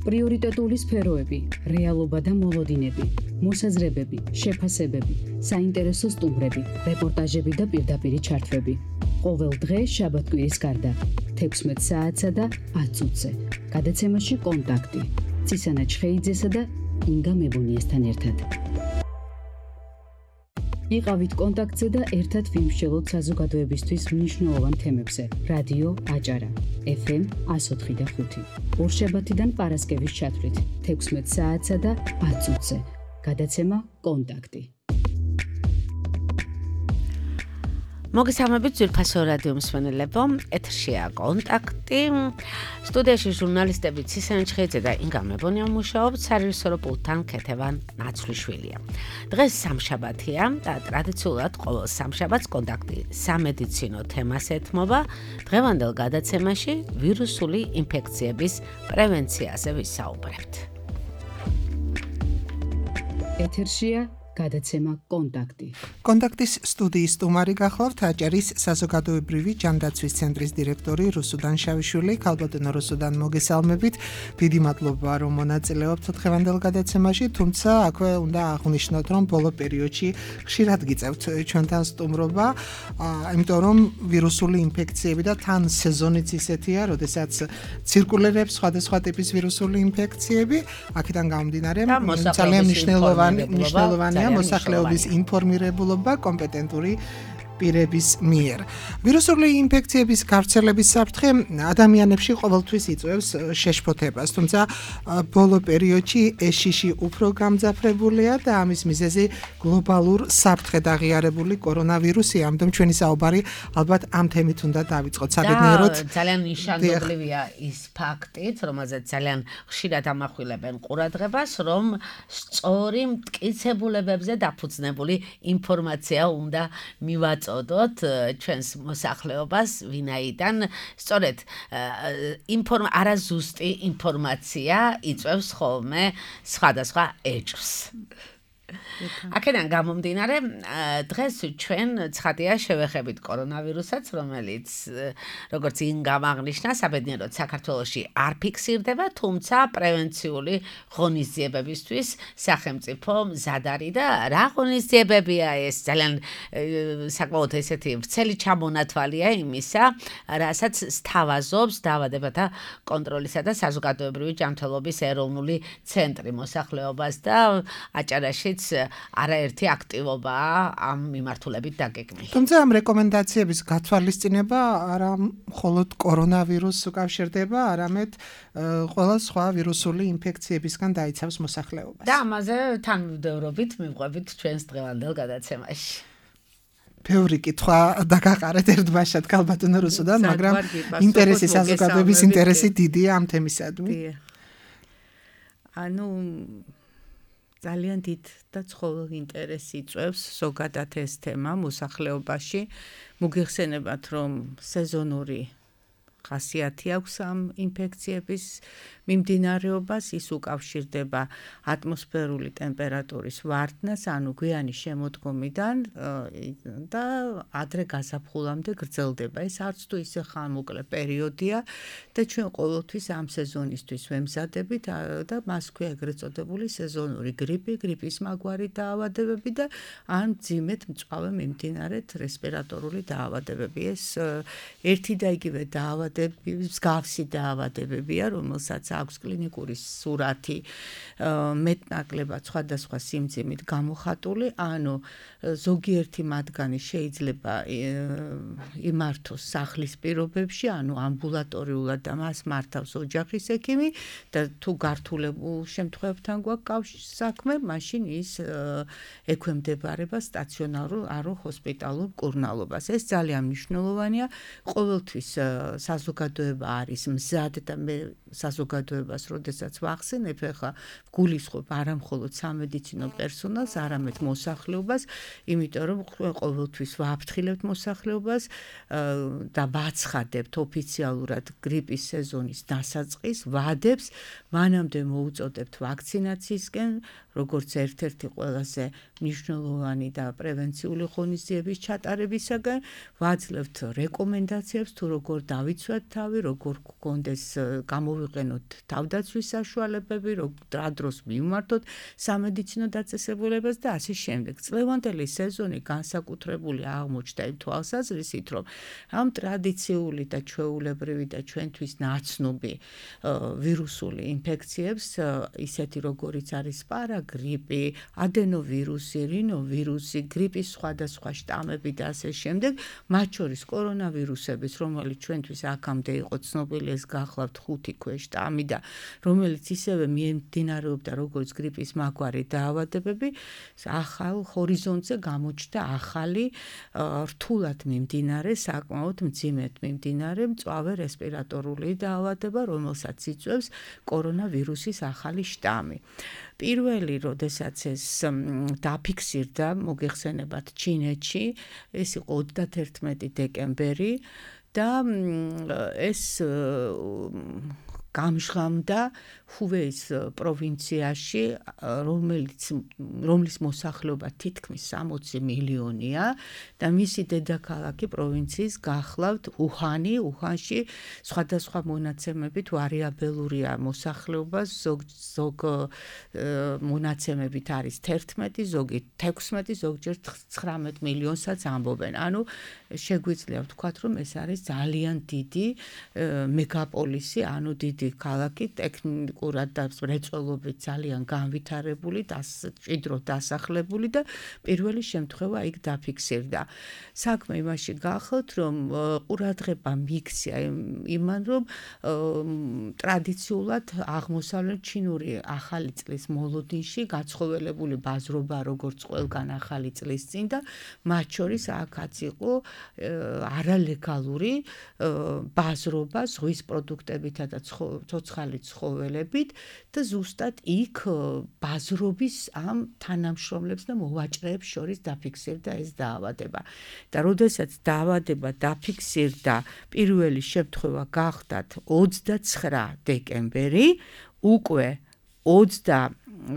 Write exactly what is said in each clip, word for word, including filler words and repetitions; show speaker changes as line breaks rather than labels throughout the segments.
პრიორიტეტული სფეროები, რეალობა და მოლოდინები, მოსაზრებები, შეფასებები, საინტერესო სტუმრები, რეპორტაჟები და პირდაპირი ჩართვები. ყოველ დღე შაბათ-კვირის გარდა, თექვსმეტ საათსა და ათ წუთზე. გადაცემაში კონტაქტი. ცისანა ჩხეიძესა და ინგა მებუნიესთან ერთად. იყავით კონტაქტზე და ერთად ვიმსჯელოთ საზოგადოებისთვის მნიშვნელოვან თემებზე. რადიო აჭარა, ეფ ემ ას ოთხი და ხუთი. ორშაბათიდან პარასკევის ჩათვლით, თექვსმეტ საათსა და ათ წუთზე. გადაცემა კონტაქტი.
მოგესალმებით ძვირფასო რადიო მსმენელებო, ეთერშია კონტაქტი. სტუდიაში ჟურნალისტები ცისანა ჩხეიძე და ინგა მებონია მუშაობთ, სარეჟისორო პულტთან ქეთევან ნაცვლიშვილია. დღეს სამშაბათია და ტრადიციულად ყოველ სამშაბათს კონტაქტი სამედიცინო თემას ეთმობა. დღევანდელ გადაცემაში ვირუსული ინფექციების პრევენციაზე ვისაუბრებთ.
ეთერშია გადაცემა კონტაქტი.
კონტაქტის სტუდიის სტუმარი გახლავთ აჭარის საზოგადოებრივი ჯანდაცვის ცენტრის დირექტორი რუსუდან შავიშვილი. ქალბატონო რუსუდან, მოგესალმებით. დიდი მადლობა რომ მონაწილეობთ დღევანდელ გადაცემაში, თუმცა აქვე უნდა აღვნიშნოთ, რომ ბოლო პერიოდში ხშირად გიწევთ ჩვენთან სტუმრობა, იმიტომ რომ ვირუსული ინფექციები და თან სეზონიც ისეთია, როდესაც ცირკულირებს სხვადასხვა ტიპის ვირუსული ინფექციები. აქედან გამომდინარე, ძალიან მნიშვნელოვანი მნიშვნელოვანი მოსახლეობის ინფორმირებულობა კომპეტენტური პირების მიერ. ვირუსული ინფექციების გავრცელების საფრთხე ადამიანებში ყოველთვის იწვევს შეშფოთებას, თუმცა ბოლო პერიოდში ეს შიში უფრო გამძაფრებულია და ამის მიზეზი გლობალურ საფრთხედ აღიარებული კორონავირუსია. ამიტომ ჩვენი საუბარი ალბათ ამ თემით უნდა დავიწყოთ. საბედნიეროდ
ძალიან ნიშანდობლივია ის ფაქტიც, რომელზეც ძალიან ხშირად ამახვილებენ ყურადღებას, რომ სწორი მტკიცებულებებზე დაფუძნებული ინფორმაცია უნდა მივაწოდოთ ჩვენს მოსახლეობას, ვინაიდან სწორედ ინფორმა არაზუსტი ინფორმაცია იწვევს ხოლმე სხვადასხვა ეჭვს. აქედან გამომდინარე, დღეს ჩვენ ცხადია შევეხებით კორონავირუსაც, რომელიც როგორც იმ გამაღნიშნა, საბედნიეროდ საქართველოში არ ფიქსირდება, თუმცა პრევენციული ღონისძიებებისთვის სახელმწიფო მზად არის და რა ღონისძიებებია ეს? ძალიან საკმაოდ ესეთი ვრცელი ჩამონათვალია იმისა, რასაც სთავაზობს დაავადებათა კონტროლისა და საზოგადოებრივი ჯანმრთელობის ეროვნული ცენტრი მოსახლეობას და აჭარაშიც არაერთი აქტივობაა ამ მიმართულებით დაგეგმილი.
თუმცა ამ რეკომენდაციების გათვალისწინება არა მხოლოდ კორონავირუსს უკავშირდება, არამედ ყველა სხვა ვირუსული ინფექციებისგან დაიცავს მოსახლეობას.
და ამაზე თანმიმდევრობით მივყვებით ჩვენს დღევანდელ გადაცემაში.
ბევრი კითხვა დაგაყარეთ ერთბაშად ქალბატონო რუსუდან, მაგრამ ინტერესი საზოგადოების ინტერესი დიდია ამ თემისადმი.
ანუ ძალიან დიდ და ცხოველ ინტერესი იწვევს ზოგადად ეს თემა მოსახლეობაში. მოგიხსენებათ, რომ სეზონური ხასიათი აქვს ამ ინფექციების მიმდინარეობას, ის უკავშირდება ატმოსფერული ტემპერატურის ვარდნას, ანუ გვიანი შემოდგომიდან და ადრე გაზაფხულამდე გრძელდება. ეს არც თუ ისე ხანმოკლე პერიოდია და ჩვენ ყოველთვის ამ სეზონისთვის ვემზადებით და მას ქვია ეგრეთ წოდებული სეზონური გრიპი, გრიპის მაგვარი დაავადებები და ან მძიმედ მწვავე მიმდინარეთ რესპირატორული დაავადებები. ეს ერთი და იგივე დაავადებები, მსგავსი დაავადებებია, რომელსაც აქვს კლინიკური სურათი მეტნაკლებად სხვადასხვა სიმძიმით გამოხატული, ანუ ზოგიერთი მათგანი შეიძლება იმართოს სახლის პირობებში, ანუ ამბულატორიულად და მას მართავს ოჯახის ექიმი და თუ გართულებულ შემთხვევებთან გვაქვს საქმე, მაშინ ის ექვემდებარება სტაციონარულ არო ჰოსპიტალურ კურნალობას. ეს ძალიან მნიშვნელოვანია, ყოველთვის საზოგადოება არის მზად და მე საზოგადოებას, როდესაც ვახსენებ, ახლა გულისხმობ არა მხოლოდ სამედიცინო პერსონალს, არამედ მოსახლეობას, იმიტომ რომ ყოველთვის ვაფრთხილებთ მოსახლეობას და ვაცხადებთ ოფიციალურად გრიპის სეზონის დასაწყის ვადებს, მანამდე მოუწოდებთ ვაქცინაციისკენ, როგორც ერთ-ერთი ყველაზე მნიშვნელოვანი და პრევენციული ღონისძიების ჩატარებისაგან, ვაძლევთ რეკომენდაციებს თუ როგორ დავიცვათ თავი, როგორ გქონდეს გამოვ მოვიყენოთ თავდაცვის საშუალებები, რა დროს მივმართოთ სამედიცინო დაწესებულებას და ასე შემდეგ. წლევანდელი სეზონი განსაკუთრებული აღმოჩნდა იმ თვალსაზრისით, რომ ამ ტრადიციული და ჩვეულებრივი და ჩვენთვის ნაცნობი ვირუსული ინფექციებს, ისეთი როგორიც არის პარაგრიპი, ადენოვირუსი, რინოვირუსი, გრიპის სხვადასხვა შტამები და ასე შემდეგ, მათ შორის კორონავირუსების, რომელიც ჩვენთვის აქამდე იყო ცნობილი, ეს გახლავთ ხუთი ქვეშტამი და რომელიც ისევე მიემდინარეობდა როგორც გრიპის მაგვარი დაავადებები, ახალ ჰორიზონტზე გამოჩნდა ახალი რთულად მიმდინარე, საკმაოდ მძიმედ მიმდინარე მწვავე რესპირატორული დაავადება, რომელსაც იწვევს კორონავირუსის ახალი შტამი. პირველი, როდესაც ეს დაფიქსირდა, მოგეხსენებათ, ჩინეთში, ეს იყო ოცდაათერთმეტი დეკემბერი და ეს გამჟღავნდა ჰუვეის პროვინციაში, რომელიც რომლის მოსახლეობა თითქმის სამოცი მილიონია და მისი დედაქალაქი პროვინციის გახლავთ უჰანი, უჰანში სხვადასხვა მონაცემებით ვარიაბელურია მოსახლეობა, ზოგ ზოგ მონაცემებით არის თერთმეტი, ზოგი თექვსმეტი, ზოგჯერ ცხრამეტ მილიონსაც ამბობენ. ანუ შეგვიძლია ვთქვათ, რომ ეს არის ძალიან დიდი მეგაპოლისი, ანუ დიდი ქალაქი, ტექნიკურად და მრეწველობით ძალიან განვითარებული, მჭიდრო დასახლებული და პირველი შემთხვევა იქ დაფიქსირდა. საქმე იმაში გახელთ, რომ ყურადღება მიიქცია იმან, რომ ტრადიციულად აღმოსავლეთ ჩინური ახალი წლის მოლოდინში გაცხოველებული ბაზრობა, როგორც ყველგან ახალი წლის წინ და მათ შორის აქაც იყო არალეგალური ბაზრობა ზღვის პროდუქტებითა და ცოცხალი ცხოველებით და ზუსტად იქ ბაზრობის ამ თანამშრომლებს და მოვაჭრეებს შორის დაფიქსირდა ეს დაავადება. და როდესაც დაავადება დაფიქსირდა, პირველი შემთხვევა გახდათ ოცდაცხრა დეკემბერი, უკვე ოცდაათში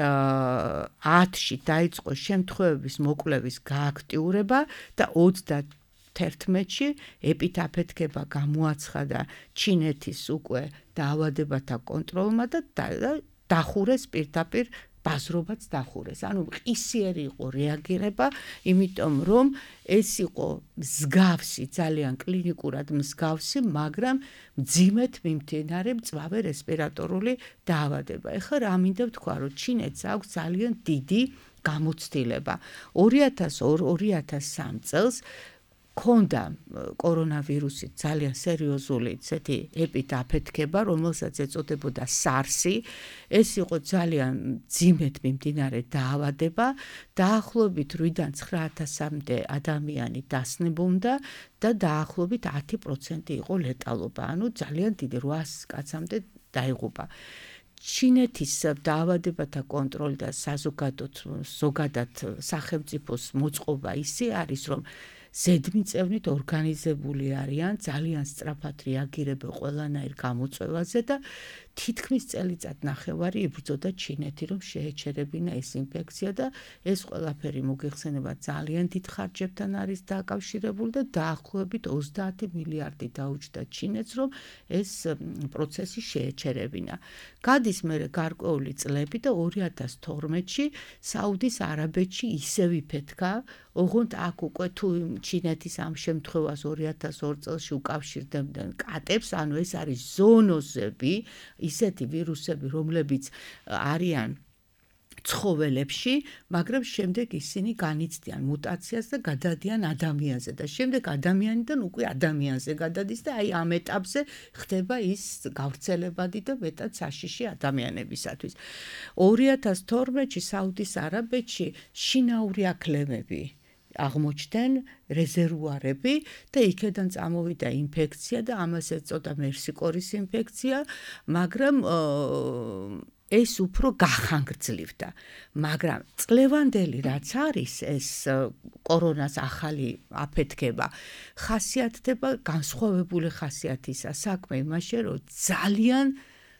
დაიწყო შემთხვევების მოკვლევის გააქტიურება და ოცდათერთმეტში ეპიდაფეთქება გამოაცხადა ჩინეთის უკვე დაავადებათა კონტროლმა და დახურეს პირდაპირ ბაზრობაც დახურეს. ანუ ყისიერი იყო რეაგირება, იმიტომ რომ ეს იყო მსგავსი, ძალიან კლინიკურად მსგავსი, მაგრამ მძიმედ მიმდინარე მწვავე რესპირატორული დაავადება. ეხლა რა მინდა ვთქვა, რომ ჩინეთს აქვს ძალიან დიდი გამოცდილება. ორი ათას სამი წელს ქონდა კორონავირუსით ძალიან სერიოზული ცეთი ეპიდაფეთქება, რომელსაც ეწოდებოდა SARS-ი. ეს იყო ძალიან მძიმედ მიმდინარე დაავადება, დაახლოებით რვიდან ცხრა ათასამდე ადამიანი დასნებობდა და დაახლოებით ათი პროცენტი იყო ლეტალობა, ანუ ძალიან დიდი რვას კაცამდე დაიღუპა. ჩინეთის დაავადებათა კონტროლი და საზოგადოდ ზოგადად სახელმწიფოს მოწყობა ისე არის, რომ ზედმიწევნით ორგანიზებული არიან, ძალიან სწრაფად რეაგირებენ ყველანაირ გამოწვევაზე და თითქმის წელიწად ნახევარი იბრძოდა ჩინეთი, რომ შეეჩერებინა ეს ინფექცია და ეს ყველაფერი მოგეხსენება ძალიან დიდ ხარჯებთან არის დაკავშირებული და დაახლოებით ოცდაათი მილიარდი დაუჯდა ჩინეთს, რომ ეს პროცესი შეეჩერებინა. გადის მერე გარკვეული წლები და ორი ათას თორმეტში საუდის არაბეთში ისევ იფეთქა, ოღონდ აქ უკვე თუ ჩინეთის ამ შემთხვევას ორი ათას ორი წელში უკავშირდებდნენ კატებს, ანუ ეს არის ზოონოზები, ისეთი ვირუსები, რომლებიც არიან ცხოველებში, მაგრამ შემდეგ ისინი განიცდიან მუტაციას და გადადიან ადამიანზე და შემდეგ ადამიანიდან უკვე ადამიანზე გადადის და აი ამ ეტაპზე ხდება ის გავრცელებადი და მეტად საშიში ადამიანებისათვის. ორი ათას თორმეტში საუდის არაბეთში შინაური აქლემები აღმოჩნდნენ რეზერვუარები და იქედან წამოვიდა ინფექცია და ამას ეწოდა მერსიკორის ინფექცია, მაგრამ ეს უფრო გახანგრძლივდა. მაგრამ წლევანდელი რაც არის ეს კორონას ახალი აფეთქება, ხასიათდება განსხვავებული ხასიათისა. საქმე იმაში, რომ ძალიან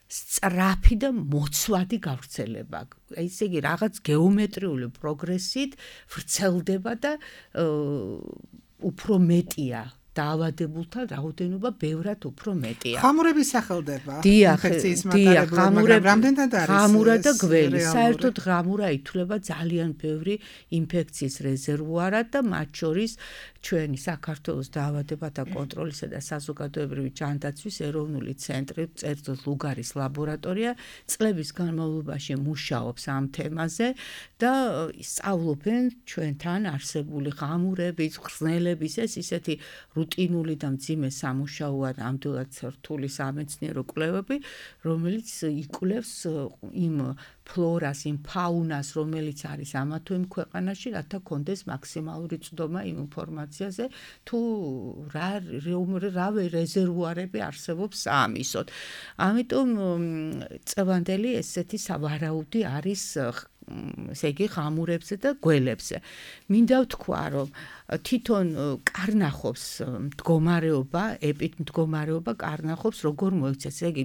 სწრაფი და მოცვადი გავრცელება. ესე იგი რაღაც გეომეტრიული პროგრესით ვრცელდება და უფრო მეტია დაავადებულთა რაოდენობა ბევრად უფრო მეტია.
ხამურები სახელდება
ინფექციის მატარებლად, მაგრამ რამდენად არის?
ღამურა
და გველი. საერთოდ ღამურა ითვლება ძალიან ბევრი ინფექციის რეზერვუარად და მათ შორის ჩვენი საქართველოს დაავადებათა კონტროლისა და საზოგადოებრივი ჯანდაცვის ეროვნული ცენტრი, წერტილ ლუგარის ლაბორატორია წლების განმავლობაში მუშაობს ამ თემაზე და სწავლობენ ჩვენთან არსებული ღამურების, ხსნელების ეს ისეთი რუტინული და მძიმე სამუშაოა ნამდვილად რთული სამეცნიერო კვლევები, რომელიც იკვლევს იმ ფლორას, იმ ფაუნას, რომელიც არის ამა თუ იმ ქვეყანაში, რათა კონდეს მაქსიმალური წვდომა იმ ინფორმაციაზე, თუ რა რა რეზერვუარები არსებობს საამისოდ. ამიტომ წევანდელი ესეთი სავარაუდი არის ესე იგი ღამურებზე და გველებზე. მინდა ვთქვა, რომ თვითონ კარნახობს მდგომარეობა, ეპიდმდგომარეობა კარნახობს როგორ მოიქცეს. ესე იგი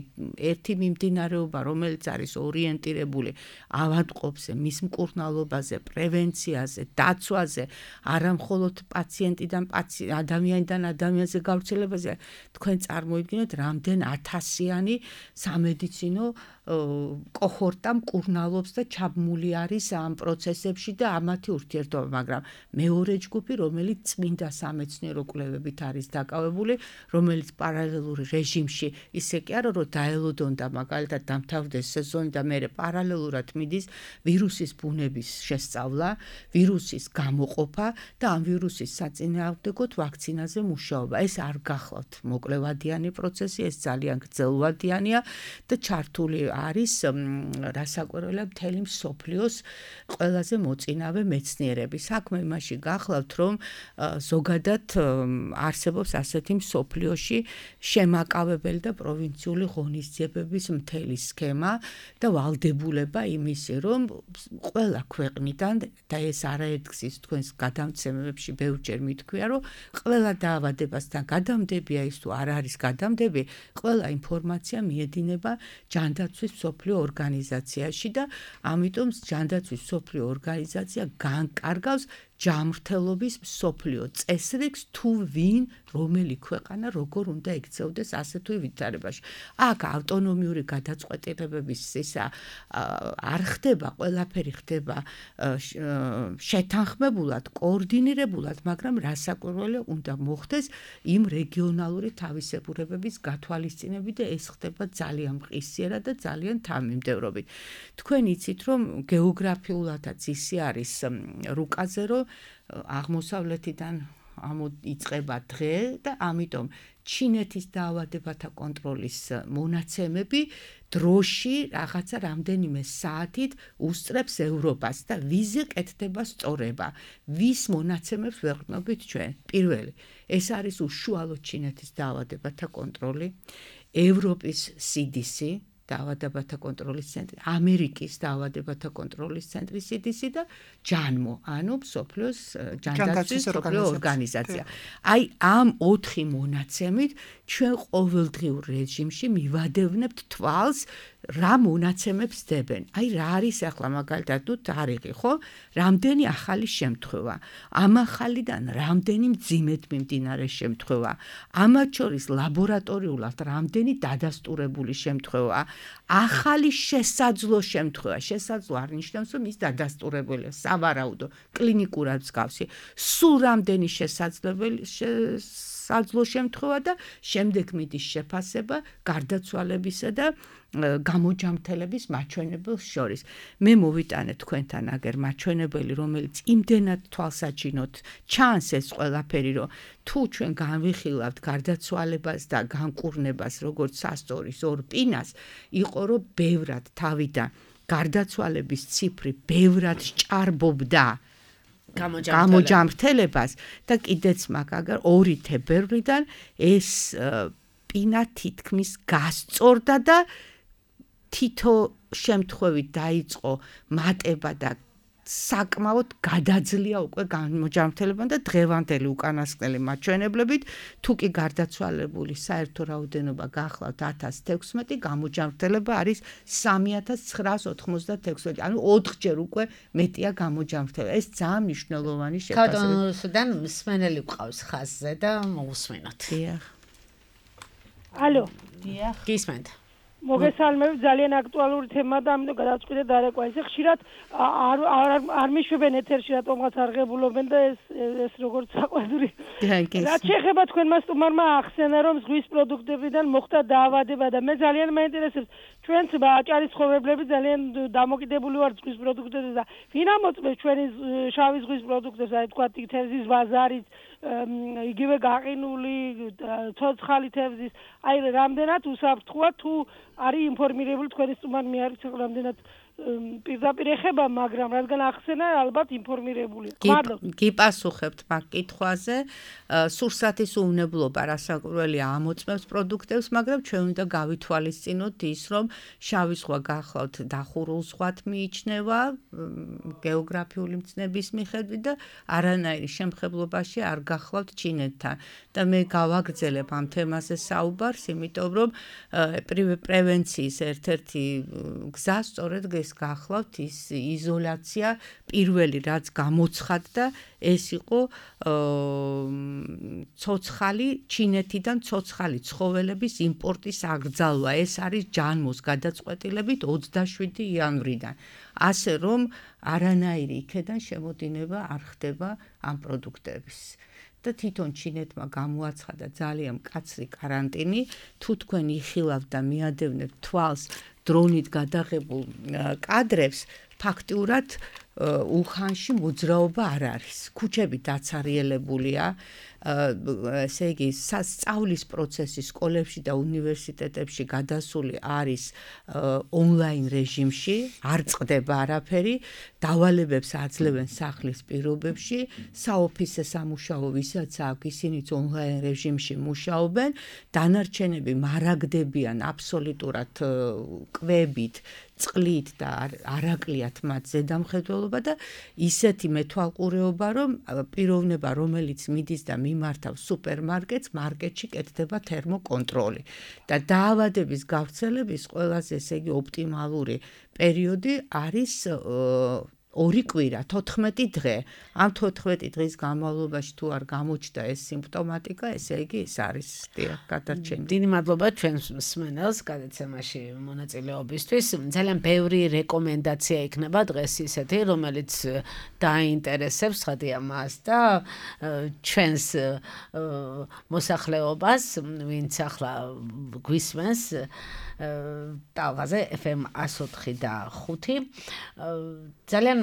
ერთი მიმდინარეობა, რომელიც არის ორიენტირებული ავადმყოფზე, მის მკურნალობაზე, პრევენციაზე, დაცვაზე, არა მხოლოდ პაციენტიდან ადამიანიდან ადამიანზე გავრცელებაზე, თქვენ წარმოიდგინეთ, რამდენ ათასიანი სამედიცინო კოჰორტა მკურნალობს და ჩაბმული არის ამ პროცესებში და ამათი ურთიერთობა, მაგრამ მეორე ჯგუფი, რომელიც წმინდა სამეცნიერო კვლევებით არის დაკავებული, რომელიც პარალელურ რეჟიმში ისე კი არა, რომ დაელოდონდა მაგალითად დამთავრდეს სეზონი და მერე პარალელურად მიდის ვირუსის ბუნების შესწავლა, ვირუსის გამოყოფა და ამ ვირუსის საწინააღმდეგოდ ვაქცინაზე მუშაობა. ეს არ გახლავთ მოკლევადიანი პროცესი, ეს ძალიან გრძელვადიანია და ჩართული არის რასაკვირველია მთელი მსოფლიოს ყველაზე მოწინავე მეცნიერები. საქმე იმაში გახლავთ, რომ ზოგადად არსებობს ასეთი მსოფლიოში შემაკავებელი და პროვინციული ღონისძიებების მთელი სქემა და ვალდებულება იმისი, რომ ყველა ქვეყნიდან და ეს არაერთგზის თქვენს გადამცემებში ბევრჯერ მითქვია, რომ ყველა დაავადებასთან გადამდებია ის თუ არ არის გადამდები, ყველა ინფორმაცია მიედინება ჯანდაცვის მსოფლიო ორგანიზაციაში და ამიტომ ჯანდაცვის მსოფლიო ორგანიზაცია განკარგავს ჯანმრთელობის მსოფლიო წესრიგს თუ ვინ რომელი ქვეყანა როგორ უნდა ექცეოდეს ასე თუ ვითარებაში. აქ ავტონომიური გადაწყვეტილებების ისა არ ხდება, ყველაფერი ხდება შეთანხმებულად, კოორდინირებულად, მაგრამ რასაკვირველია უნდა მოხდეს იმ რეგიონალური თავისებურებების გათვალისწინებით და ეს ხდება ძალიან მყისიერად და ძალიან თანმიმდევრობით. თქვენ იცით, რომ გეოგრაფიულადაც ისე არის რუკაზე, რომ აღმოსავლეთიდან იწყება დღე და ამიტომ ჩინეთის დაავადებათა კონტროლის მონაცემები დროში რაღაცა რამდენიმე საათით უსწრებს ევროპას და ვიზე კეთდება სწორება. ვის მონაცემებს ვეყრდნობით ჩვენ? პირველი, ეს არის უშუალო ჩინეთის დაავადებათა კონტროლი, ევროპის სი დი სი, დაავადებათა კონტროლის ცენტრი, ამერიკის დაავადებათა კონტროლის ცენტრი სი დი სი და ჯანმო, ანუ მსოფლიოს ჯანდაცვის მსოფლიო ორგანიზაცია. აი ამ ოთხი მონაცემით ჩვენ ყოველდღიურ რეჟიმში მივადევნებთ თვალს რა მონაცემებს დებენ. აი რა არის ახლა მაგალითად თუ თარიღი, ხო? რამდენი ახალი შემთხვევა. ამ ახალიდან რამდენი მძიმედ მიმდინარე შემთხვევა. ამათ შორის ლაბორატორიულად რამდენი დადასტურებული შემთხვევა. ახალი შესაძლო შემთხვევა. შესაძლო არ ნიშნავს, რომ ის დადასტურებულია, სავარაუდო, კლინიკურად მსგავსი. სულ რამდენი შესაძლებელი საძლო შემთხვევა და შემდეგ მიდის შეფასება გარდაცვალებისა და გამოჯამრთელების მაჩვენებელს შორის. მე მოვიტანე თქვენთან აგერ მაჩვენებელი, რომელიც იმდენად თვალსაჩინოდ ჩანს ეს ყველაფერი, რომ თუ ჩვენ განვიხილავთ გარდაცვალებას და განკურნებას როგორც სასწორის ორ პინას, იყო რომ ბევრად თავიდან გარდაცვალების ციფრი ბევრად სჭარბობდა გამოჯამრთელებას და კიდეც მაგალითად ორი თებერვლიდან ეს პინა თითქმის გასწორდა და თითო შემთხვევით დაიწყო მატება და საკმაოდ გადაძლია უკვე გამოჯანმრთელებამ და დღევანდელი უკანასკნელი მაჩვენებლებით თუ კი გარდაცვალებული საერთო რაოდენობა გახლავთ ათას თექვსმეტი, გამოჯანმრთელება არის სამი ათას ცხრაას ოთხმოცდათექვსმეტი, ანუ ოთხჯერ უკვე მეტია გამოჯანმრთელება. ეს ძალიან მნიშვნელოვანი შეფასება.
ქავტონოსიდან მსმენელი გვყავს ხაზზე და მოусმინოთ.
დიახ.
ალო.
დიახ. გისმენთ.
მოგესალმებით, ძალიან აქტუალური თემაა და ამიტომ გადავწყვიტე დარეკვა. ესე ხშირად არ არ არ მიშვებენ ეთერში, რატომღაც არ ღებულობენ და ეს ეს როგორც საყვედური. რაც შეეხება თქვენმა სტუმარმა ახსენა, რომ ზღვის პროდუქტებიდან მოხდა დაავადება და მე ძალიან მაინტერესებს ჩვენც აჭარის ცხოვრებლები ძალიან დამოკიდებული ვართ ზღვის პროდუქტებზე და ვინ ამოწმებს ჩვენი შავი ზღვის პროდუქტებს, აი თქვა თევზის ბაზარიც, იგივე გაყინული ცოცხალი თევზის, აი რამდენად უსაფრთხოა თუ არის ინფორმირებული თქვენი სტუმარი, მე არ ვიცი რამდენად პირდაპირ ეხება, მაგრამ რადგან ახსენა ალბათ ინფორმირებულია.
გიპასუხებთ მაგ კითხვაზე, სურსათის უვნებლობა რასაკვირველია ამოწმებს პროდუქტებს, მაგრამ ჩვენ უნდა გავითვალისწინოთ ის, რომ შავი ზღვა გახლავთ დახურულ ზღვათ მიიჩნევა გეოგრაფიული მცნების მიხედვით და არანაირი შემხებლობაში არ გახლავთ ჩინეთთან. და მე გავაგრძელებ ამ თემაზე საუბარს, იმიტომ რომ პრევენციის ერთ-ერთი გზა სწორედ ეს გახლავთ ის იზოლაცია პირველი რაც გამოცხადდა ეს იყო ცოცხალი ჩინეთიდან ცოცხალი ცხოველების იმპორტის აკრძალვა. ეს არის ჯანმოს გადაწყვეტილებით ოცდაშვიდი იანვრიდან. ასე რომ არანაირი იქედან შემოდინება არ ხდება ამ პროდუქტების. და თვითონ ჩინეთმა გამოაცხადა ძალიან მკაცრი კარანტინი, თუ თქვენ იხილავთ და მიადევნებთ თვალს დრონით გადაღებულ კადრებს, ფაქტიურად უხანში მოძრაობა არ არის. ქუჩები დაცარიელებულია, ესე იგი სწავლის პროცესი სკოლებში და უნივერსიტეტებში გადასული არის ონლაინ რეჟიმში, არ წყდება არაფერი, დავალებებს აძლევენ სახლის პირობებში, საოფისე სამუშაო ვისაც აქვს, ისინიც ონლაინ რეჟიმში მუშაობენ, დანარჩენები მარაგდებიან აბსოლუტურად კვებით, წყლით და არაკლიათ მათ ზედამხედველობა და ისეთი მეთვალყურეობა, რომ პიროვნება, რომელიც მიდის და მიმართავს სუპერმარკეტს, მარკეტში კეთდება თერმოკონტროლი. და დაავადების გავრცელების ყველაზე ესე იგი ოპტიმალური პერიოდი არის ორი კვირა, თოთხმეტი დღე. ამ თოთხმეტი დღის განმავლობაში თუ არ გამოჩნდა ეს სიმპტომატიკა, ესე იგი ეს არის გადარჩენილი.
დიდი მადლობა ჩვენს მსმენელს გადაცემაში მონაწილეობისთვის. ძალიან ბევრი რეკომენდაცია იქნება დღეს ისეთი, რომელიც დაინტერესებს ხადია მას და ჩვენს მოსახლეობას, ვინც ახლა გვისმენს ტალღაზე ეფ ემ εκατო ოთხი და ხუთი. ძალიან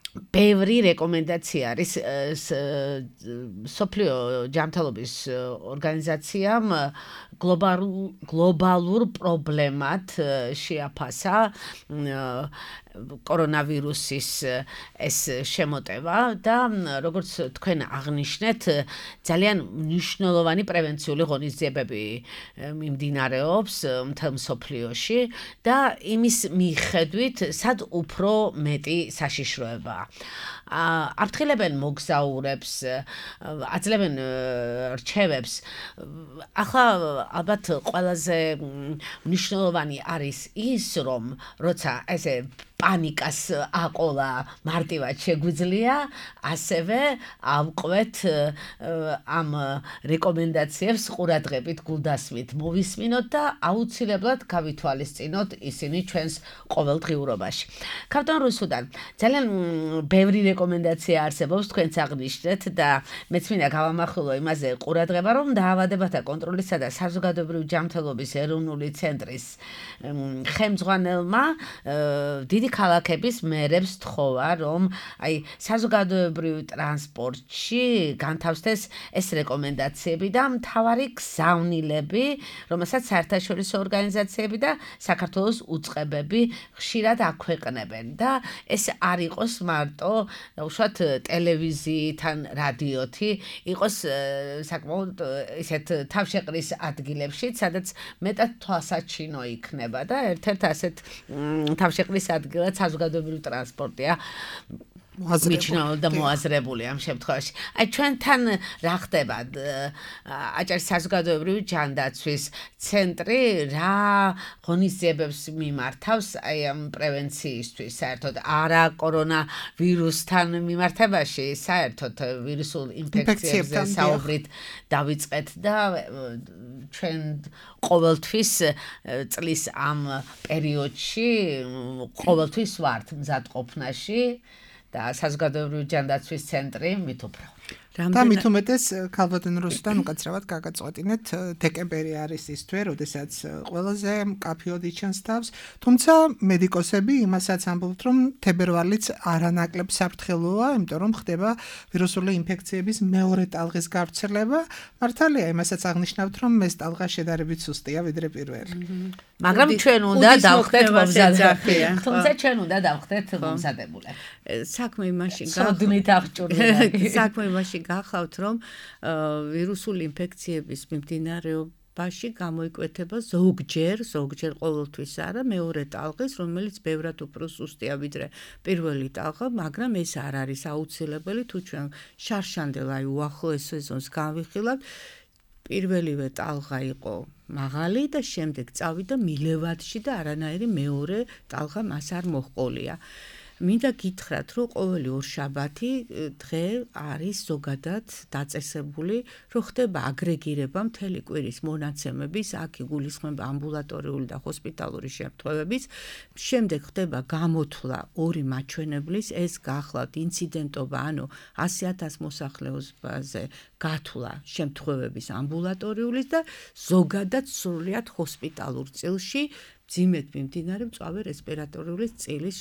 ბევრი რეკომენდაცია არის სოფლიო ჯანმრთელობის ორგანიზაციამ გლობალურ გლობალურ პრობლემად შეაფასა კორონავირუსის ეს შემოტევა და როგორც თქვენ აღნიშნეთ, ძალიან მნიშვნელოვანი პრევენციული ღონისძიებები მიმდინარეობს მთელ მსოფლიოში და იმის მიხედვით, სად უფრო მეტი საშიშროებაა. აფრთხილებენ მოგზაურებს, აძლევენ რჩევებს. ახლა ალბათ ყველაზე მნიშვნელოვანი არის ის, რომ როცა ესე პანიკას აყოლა მარტივად შეგვიძლია, ასევე ავყვეთ ამ რეკომენდაციებს ყურადღებით გულდასმით მოვისმინოთ და აუცილებლად გავითვალისწინოთ ისინი ჩვენს ყოველდღიურობაში. ქავტონ რუსუდან ძალიან ბევრი რეკომენდაცია არსებობს, თქვენც აღნიშნეთ და მეც მინდა გავამახვილო იმაზე ყურადღება, რომ დაავადებათა კონტროლისა და საზოგადოებრივი ჯანმრთელობის ეროვნული ცენტრის ხელმძღვანელმა დიდი ქალაქების მერებს თხოვა, რომ აი საზოგადოებრივ ტრანსპორტში განთავსდეს ეს რეკომენდაციები და მთავარი გზავნილები, რომელსაც საერთაშორისო ორგანიზაციები და საქართველოს უწყებები ხშირად აქვეყნებენ და ეს არ იყოს მარტო უშუალოდ ტელევიზიიდან, რადიოთი, იყოს საკმაოდ ისეთ თავშეყრის ადგილებში, სადაც მეტად თვალსაჩინო იქნება და ერთ-ერთ ასეთ თავშეყრის ადგილ ადგილად საზოგადოებრივი ტრანსპორტია მიჩნეულ და მოაზრებული ამ შემთხვევაში. აი ჩვენთან რა ხდება? აჭარის საზოგადოებრივი ჯანდაცვის ცენტრი რა ღონისძიებებს მიმართავს აი ამ პრევენციისთვის, საერთოდ არა კორონავირუსთან მიმართებაში, საერთოდ ვირუსულ ინფექციებზე საუბრით დავიწყეთ და ჩვენ ყოველთვის წლის ამ პერიოდში ყოველთვის ვართ მზადყოფნაში და საზოგადოებრივი ჯანდაცვის ცენტრი მით უფრო.
და მით უმეტეს ქალბატონ რუსუდან უკაცრავად გაგაწყვეტინეთ დეკემბერი არის ის თვე, როდესაც ყველაზე მკაფიოდ იჩენს თავს, თუმცა მედიკოსები იმასაც ამბობთ, რომ თებერვალიც არანაკლებ საფრთხელოა, იმიტომ რომ ხდება ვირუსული ინფექციების მეორე ტალღის გავრცელება. მართალია, იმასაც აღნიშნავთ, რომ ეს ტალღა შედარებით სუსტია ვიდრე პირველი.
მაგრამ ჩვენ უნდა დავხდეთ მომზადებული. თუმცა ჩვენ უნდა დავხდეთ მომზადებული.
საქმე იმაში
გახდით აღჭურვილი.
საქმე იმაში გახავთ, რომ ვირუსული ინფექციების მიმდინარეობაში გამოიკვეთება ზოგჯერ, ზოგჯერ ყოველთვის არა, მეორე ტალღის, რომელიც ბევრად უფრო სუსტია ვიდრე პირველი ტალღა, მაგრამ ეს არ არის აუცილებელი, თუ ჩვენ შარშანდელ აი უახლოეს სეზონს განვიხილავთ, პირველივე ტალღა იყო მაღალი და შემდეგ წავიდა მილევადში და არანაირი მეორე ტალღა მას არ მოჰყოლია. მინდა გითხრათ, რომ ყოველი ორშაბათი დღე არის ზოგადად დაწესებული, რომ ხდება აგრეგირება მთელი კვირის მონაცემების, აქ იგულისხმება ამბულატორიული და ჰოსპიტალური შემთხვევების, შემდეგ ხდება გამოთვლა ორი მაჩვენებლის, ეს გახლავთ ინციდენტობა, ანუ ასი ათას მოსახლეობაზე გათვლა შემთხვევების ამბულატორიulis და ზოგადად სრულიად ჰოსპიტალურ წილში ძიმედ მიმდინარე მწვავე რესპირატორული წილის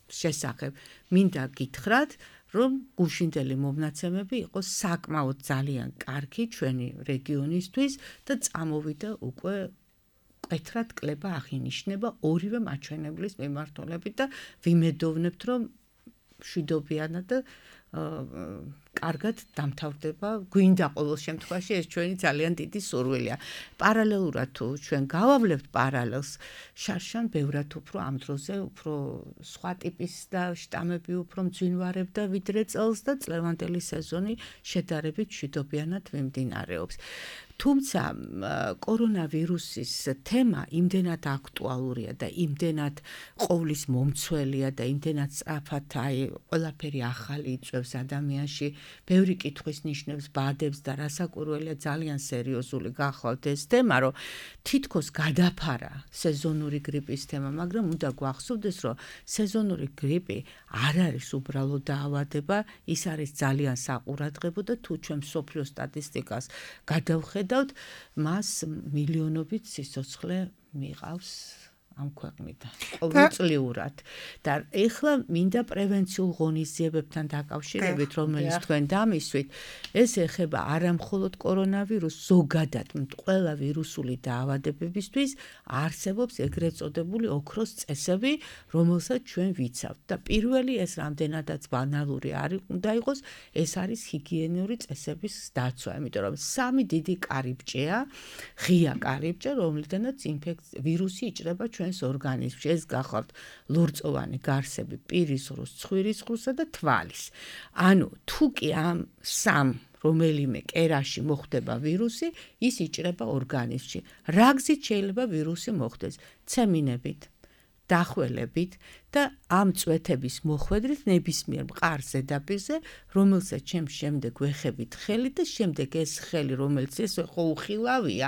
შესახებ. მინდა გითხრათ, რომ გუშინდელი მომნაცემები იყო საკმაოდ ძალიან კარგი ჩვენი რეგიონისთვის და წამოვიდა უკვე მკვეთრად კლება აღინიშნება ორივე მაჩვენებლის მიმართულებით და ვიმედოვნებთ, რომ მშვიდობიანად და კარგად დამთავრდება, გვინდა ყოველ შემთხვევაში ეს ჩვენი ძალიან დიდი სურვილია. პარალელურად თუ ჩვენ გავავლებთ პარალელს, შარშან ბევრად უფრო ამ დროზე უფრო სხვა ტიპის და შტამები უფრო მძვინვარებდა ვიდრე წელს და წლევანდელი სეზონი შედარებით მშვიდობიანად მიმდინარეობს. თუმცა კორონავირუსის თემა იმდენად აქტუალურია და იმდენად ყოვლის მომცველია და იმდენად სწრაფად აი ყველაფერი ახალი იწვევს ადამიანში, ბევრი კითხვის ნიშნებს, ბადებს და რასაკვირველია ძალიან სერიოზული გახლავთ ეს თემა, რომ თითქოს გადაფარა სეზონური გრიპის თემა, მაგრამ უნდა გვახსოვდეს, რომ სეზონური გრიპი არ არის უბრალოდ დაავადება, ის არის ძალიან საყურადღებო და თუ ჩვენ მსოფლიო სტატისტიკას გადავხედავთ, მას მილიონობით სიცოცხლე მიყავს ამ ქვეყნიდან ყოველწლიურად და ეხლა მინდა პრევენციულ ღონისძიებებთან დაკავშირებით, რომელიც თქვენ დამისვით, ეს ეხება არა მხოლოდ კორონავირუსს, ზოგადად ყველა ვირუსული დაავადებებისთვის არსებობს ეგრეთ წოდებული ოქროს წესები, რომელსაც ჩვენ ვიცავთ და პირველი ეს რამდენადაც ბანალური არ უნდა იყოს, ეს არის ჰიგიენური წესების დაცვა, იმიტომ რომ სამი დიდი კარიბჭეა, ღია კარიბჭე, რომლიდანაც ვირუსი იჭრება ჩვენ ორგანიზმში, ეს გახლავთ ლორწოვანი გარსები, პირის ღრუს, ცხვირის ღრუსა და თვალის. ანუ თუ კი ამ სამ რომელიმე კერაში მოხდება ვირუსი, ის იჭრება ორგანიზმში. რა გზით შეიძლება ვირუსი მოხდეს? ცემინებით, დახველებით და ამ წვეთების მოხვედრით ნებისმიერ მყარ ზედაპირზე, რომელსაც ჩემ შემდეგ ვეხებით ხელი და შემდეგ ეს ხელი, რომელიც ეს ხო უხილავია,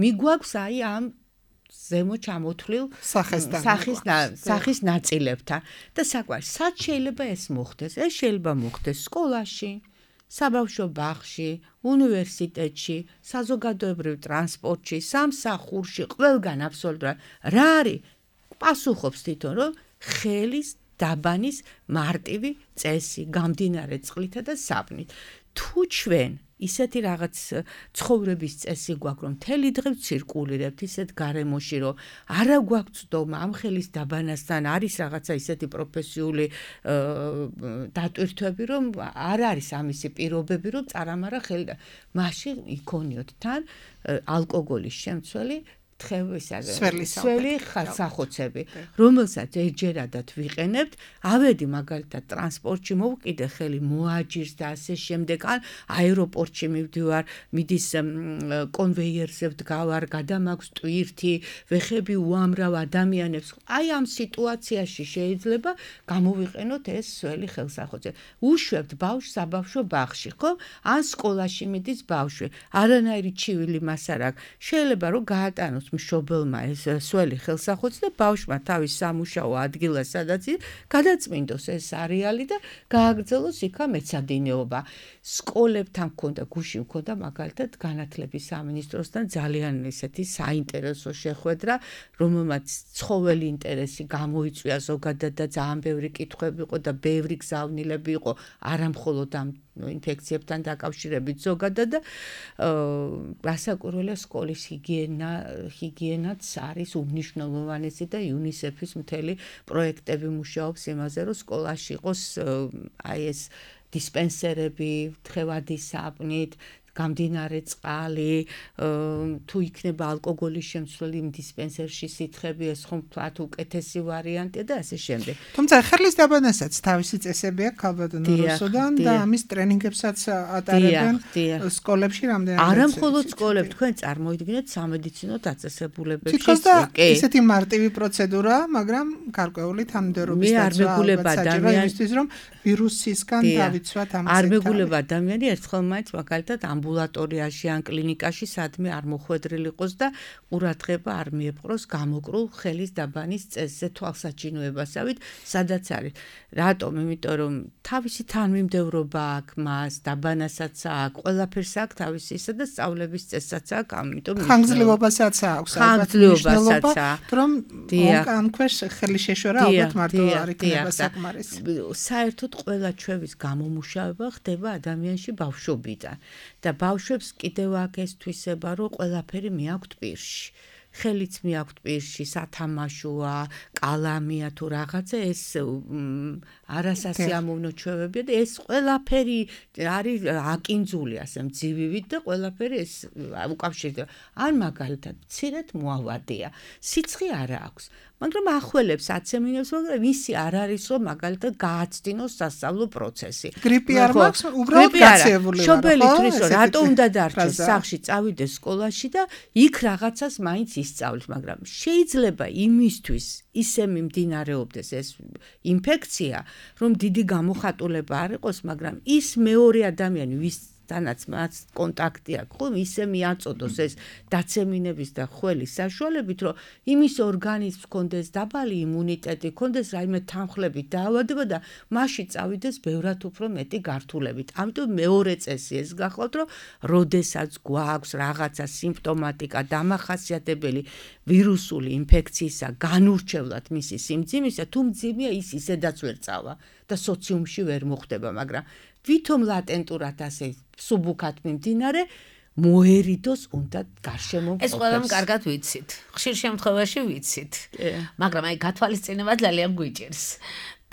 მიგვაქვს აი ამ ზემო ჩამოთვლილ სახის სახის ნაწილებთან და საკვარი სად შეიძლება ეს მოხდეს? ეს შეიძლება მოხდეს სკოლაში, საბავშვო ბაღში, უნივერსიტეტში, საზოგადოებრივ ტრანსპორტში, სამსახურში, ყველგან აბსოლუტურად. რა არის? პასუხობს თვითონ, რომ ხელის დაბანის მარტივი წესი, გამდინარე წყლითა და საბნით. თუ ჩვენ ისეთი რაღაც ცხოვრების წესი გვაქვს, რომ მთელი დღე ცირკულირებთ ისეთ გარემოში, რომ არა გვაქვს ცდომა ამ ხელის დაბანასთან, არის რაღაცა ისეთი პროფესიული დატვირთვები, რომ არ არის ამისი პირობები, რომ წარამარა ხელი და მაშინ იქონიოთ თან ალკოგოლის შემცველი თხევისა
სვერლის
სველი ხელსახოცები, რომელსაც ეჯერადად ვიყენებთ, ავედი მაგალითად ტრანსპორტში მოვკიდე ხელი მოაჯირს და ასე შემდეგ, ან აეროპორტში მივდივარ, მიდის კონვეიერზე ვდგავარ, გადამაქვს ტვირთი, ვეხები უამრავ ადამიანებს. აი ამ სიტუაციაში შეიძლება გამოვიყენოთ ეს სველი ხელსახოცები. უშვებთ ბავშვს საბავშვო ბაღში, ხო? ან სკოლაში მიდის ბავშვი. არანაირი ჩივილი მას არ აქვს. შეიძლება რომ გაატანოს მშობელმა ეს სველი ხელსახოცი და ბავშვმა თავის სამუშაო ადგილას სადაც გადაწმინდოს ეს არეალი და გააგრძელოს იქა მეცადინეობა. სკოლებთან მქონდა გუში მქონდა მაგალითად განათლების სამინისტროსთან ძალიან ესეთი საინტერესო შეხვედრა, რომელმაც ცხოველი ინტერესი გამოიწვია ზოგადად და ძალიან ბევრი კითხვები იყო და ბევრი გზავნილები იყო არამხოლოდ ამ ინფექციებთან დაკავშირებით ზოგადად და რასაკვირველია სკოლის ჰიგიენა ჰიგიენაც არის უმნიშვნელოვანესი და იუნისეფის მთელი პროექტები მუშაობს იმაზე რომ სკოლაში იყოს აი ეს დისპენსერები თხევადი საპნით გამდინარე წყალი, თუ იქნება ალკოგოლის შემცველი იმ დისპენსერში სითხები, ეს ხომ თქვათ უკეთესი ვარიანტია და ასე შემდეგ.
თუმცა ხელის დაბანასაც თავისი წესები აქვს ქალბატონო რუსოდან და ამის ტრენინგებსაც ატარებენ სკოლებში რამდენადაც.
არა მხოლოდ სკოლებში, თქვენ წარმოიდგინეთ სამედიცინო დაწესებულებებში.
თითქოს და ისეთი მარტივი პროცედურაა, მაგრამ გარკვეული თანმიმდევრობის დაცვა საჭიროა იმისთვის, რომ ვირუსისგან დავიცვათ ამას.
არ მეგულება ადამიანი ერთხელ მაინც მაგალითად ამბულატორიაში ან კლინიკაში სადმე არ მოხვედრილ იყოს და ყურადღება არ მიეპყროს გამოკრულ ხელის დაბანის წესზე თვალსაჩინოებასავით, სადაც არის. რატომ? იმიტომ რომ თავისი თანმიმდევრობა აქვს მას, დაბანასაც აქვს, ყველაფერს აქვს თავისი ისა და სწავლების წესაც აქვს, ამიტომ
ხანგრძლივობასაც აქვს,
ხანგრძლივობასაც აქვს,
რომ ამ ქვეშ ხელი შეშორა ალბათ მარტო არ იქნება საკმარისი.
საერთოდ ყველა ჩვევის გამომუშავება ხდება ადამიანში ბავშვობიდან. და ბავშვებს კიდევ აქ ეს თვისება, რომ ყველაფერი მიაქვთ პირში. ხელიც მიაქვთ პირში, სათამაშოა, კალამია თუ რაღაცა, ეს არასასიამოვნო ჩვევებია და ეს ყველაფერი არის აკინძული ასე მძივივით და ყველაფერი ეს უკავშირდება. ან მაგალითად, მცირედ მოავადია. სიცხე არ აქვს. მაგრამ ახველებს აცემინებს, მაგრამ ისი არ არის რომ მაგალითად გააცდინოს სასწავლო პროცესი.
გრიპი არ მაქვს, უბრალოდ გაცეებული ვარ.
შობელი თვლის რომ რატო უნდა დარჩეს სახლში, წავიდეს სკოლაში და იქ რაღაცას მაინც ისწავლის, მაგრამ შეიძლება იმისთვის ისე მიმდინარეობდეს ეს ინფექცია, რომ დიდი გამოხატულება არ იყოს, მაგრამ ის მეორე ადამიანი ვის თანაც მას კონტაქტი აქვს, ხომ ისე მიაწოდოს ეს დაცემინების და ხველის საშუალებით, რომ იმის ორგანიზმს კონდეს დაბალი იმუნიტეტი, კონდეს რაიმე თანხლებით დაავადება და მასში წავიდეს ბევრად უფრო მეტი გართულებით. ამიტომ მეორე წესი ეს გახლავთ, რომ როდესაც გვაქვს რაღაცა სიმპტომატიკა დამახასიათებელი ვირუსული ინფექციისა განურჩევლად მისი სიმძიმისა, თუ მძიმეა ის ისედაც ვერ წავა და სოციუმში ვერ მოხდება, მაგრამ ვითომ ლატენტურად ასე სუბუქად მიმდინარე მოერიდოს უნდა გარშემო
ეს ყველამ კარგად ვიცით. ხშირ შემთხვევაში ვიცით. მაგრამ აი გათვალისწინება ძალიან გვიჭირს.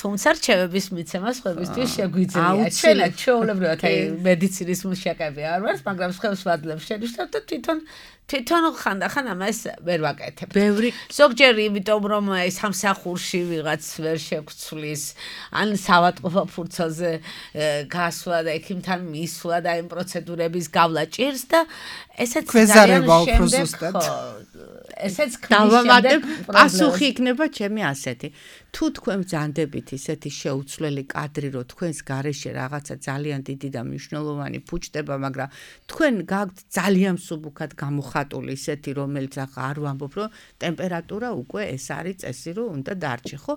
თუმცა რჩევების მიცემა სხვებისთვის შეგვიძლია. ჩვენად ჩვეულებრივად აი მედიცინის მუშაკები არ ვართ, მაგრამ სხვებს ვადლებს შენიშნავ და თვითონ თვითონ ხანდახან ამას ვერ ვაკეთებ.
ბევრი
ზოგჯერ იმიტომ რომ ეს სამსახურში ვიღაც ვერ შეგვცვლის, ან სავატყოფა ფურცელზე გასვლა და ექიმთან მისვლა და იმ პროცედურების გავლა ჭირს და ესეც
ძალიან შემდგომ
ესეც
დავამატებ პასუხი იქნება ჩემი ასეთი. თუ თქვენ ბრძანდებით ისეთი შეუცვლელი კადრი, რომ თქვენს გარეშე რაღაცა ძალიან დიდი და მნიშვნელოვანი ფუჭდება, მაგრამ თქვენ გაქვთ ძალიან სუბუქად გამოხატული ისეთი, რომელიც ახლა არ ვამბობ, რომ ტემპერატურა უკვე ეს არის წესი, რომ უნდა დარჩე, ხო?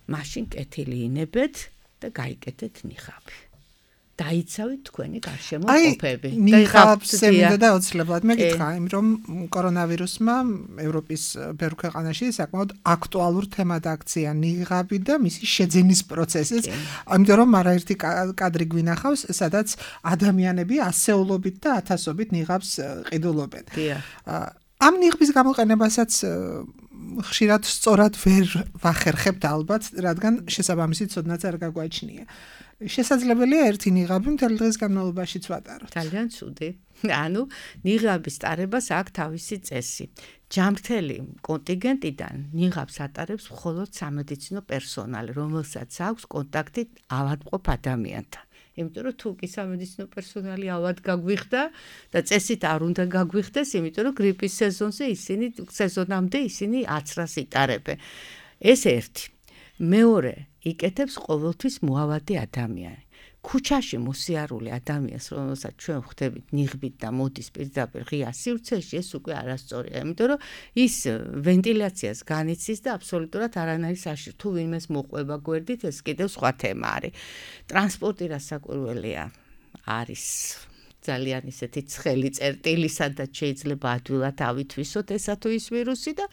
მაშინ კეთილი ინებეთ და გაიკეთეთ ნიხაბი. დაიცავით თქვენი გარშემო ყოფები.
აი, ნიხაბს ემიდა და ოცლებლად მეკითხა, იმ რომ კორონავირუსმა ევროპის ბევრ ქვეყანაში საკმაოდ აქტუალურ თემად აქცია ნიღაბი და მისი შეძენის პროცესიც. ამიტომ რომ არაერთი კადრი გვინახავს, სადაც ადამიანები ასეულობით და ათასობით ნიღაბს ყიდულობენ. ამ ნიღბის გამოყენებასაც ხშირად სწორად ვერ ვახერხებთ ალბათ, რადგან შესაბამისი ცოდნაც არ გაგვაჩნია. შესაძლებელია ერთი ნიღაბი მთელი დღის განმავლობაშიც ვატაროთ.
ძალიან ცუდი. ანუ ნიღაბის ტარებას აქვს თავისი წესი. ჯამრთელი კონტინგენტიდან ნიღაბს ატარებს მხოლოდ სამედიცინო პერსონალი, რომელსაც აქვს კონტაქტი ავადმყოფ ადამიანთან. იმიტომ რომ თუ კი სამედიცინო პერსონალი ავად გაგვიხდა და წესით არ უნდა გაგვიხდეს, იმიტომ რომ გრიპის სეზონზე ისინი სეზონამდე ისინი აცრას იტარებენ. ეს ერთი. მეორე, იკეთებს ყოველთვის მოავადი ადამიანი. ქუჩაში მოსიარული ადამიანს, რომელსაც ჩვენ ხვდებით ნიღბით და მოდის პირდაპირ ღია სივრცეში, ეს უკვე არასწორია, იმიტომ რომ ის ვენტილაციას განიცდის და აბსოლუტურად არანაირი საშიშ. თუ ვინმეს მოყვება გვერდით, ეს კიდევ სხვა თემა არის. ტრანსპორტი რასაკვირველია არის ძალიან ისეთი ცხელი წერტილი, სადაც შეიძლება ადვილად ავითვისოთ ესა თუ ის ვირუსი და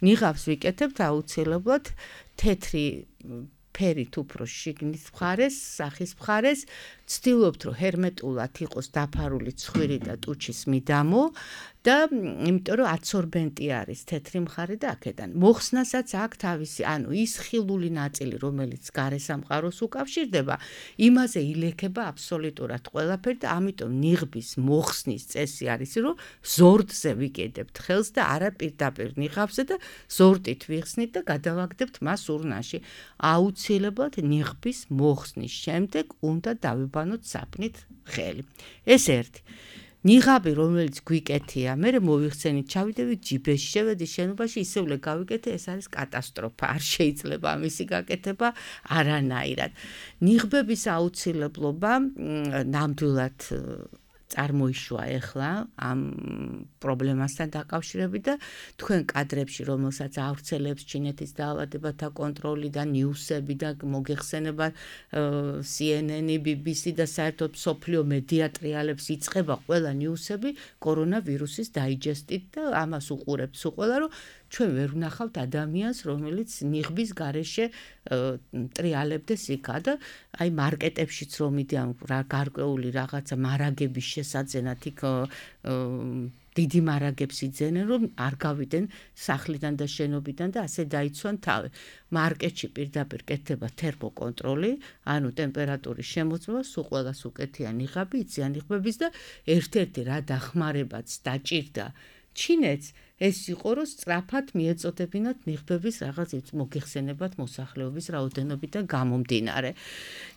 ნიღაბს ვიკეთებთ აუცილებლად თეთრი ფერით უფრო შიგნის მხარეს, სახის მხარეს, ვცდილობთ რომ ჰერმეტულად იყოს დაფარული ცხვირი და ტუჩის მიდამო და იმიტომ რომ აბსორბენტი არის თეთრი მხარე და აქედან მოხსნასაც აქვს თავისი, ანუ ის ხილული ნაწილი, რომელიც გარესამყაროს უკავშირდება, იმაზე ილექება აბსოლუტურად ყველაფერი და ამიტომ ნიღბის მოხსნის წესი არის, რომ ზორდზე ვიკედებთ ხელს და არა პირდაპირ ნიღაბზე და ზორდით ვიხსნით და გადავაგდებთ მას ურნაში. აუცილებლად ნიღბის მოხსნის შემდეგ უნდა დავიბანოთ საფნით ხელი. ეს ერთი. ნიღაბი, რომელიც გვიკეთია, მე მოვიხსენით, ჩავიდევით ჯიბეში, შევედი შენობაში, ისევლე გავიკეთე, ეს არის კატასტროფა. არ შეიძლება ამისი გაკეთება არანაირად. ნიღბების აუცილებლობა ნამდვილად წარმოიშვა ეხლა ამ პრობლემასთან დაკავშირებით და თქვენ კადრებში, რომელსაც ავრცელებს ჩინეთის დაავადებათა კონტროლი და ნიუსები და მოგეხსენება C N N, B B C და საერთოდ მსოფლიო მედია ტრიალებს იწყება ყველა ნიუსები კორონავირუსის დაიჯესტით და ამას უყურებთ უყველა, რომ ჩვენ ვერ ვნახავთ ადამიანს, რომელიც ნიღბის გარეშე ტრიალებდეს იქა და აი მარკეტებშიც რომ მიდიან რა გარკვეული რაღაცა მარაგების შესაძენად იქ დიდი მარაგებს იძენენ, რომ არ გავიდნენ სახლიდან და შენობიდან და ასე დაიცვან თავი. მარკეტში პირდაპირ კეთდება თერმოკონტროლი, ანუ ტემპერატურის შემოწმება, სულ ყველას უკეთია ნიღაბი, იციან ნიღბების და ერთ-ერთი რა დახმარებაც დაჭირდა ჩინეთს ეს იყო, რომ სწრაფად მიეწოდებინათ ნიღბების რაღაც მოგეხსენებათ მოსახლეობის რაოდენობიდან გამომდინარე.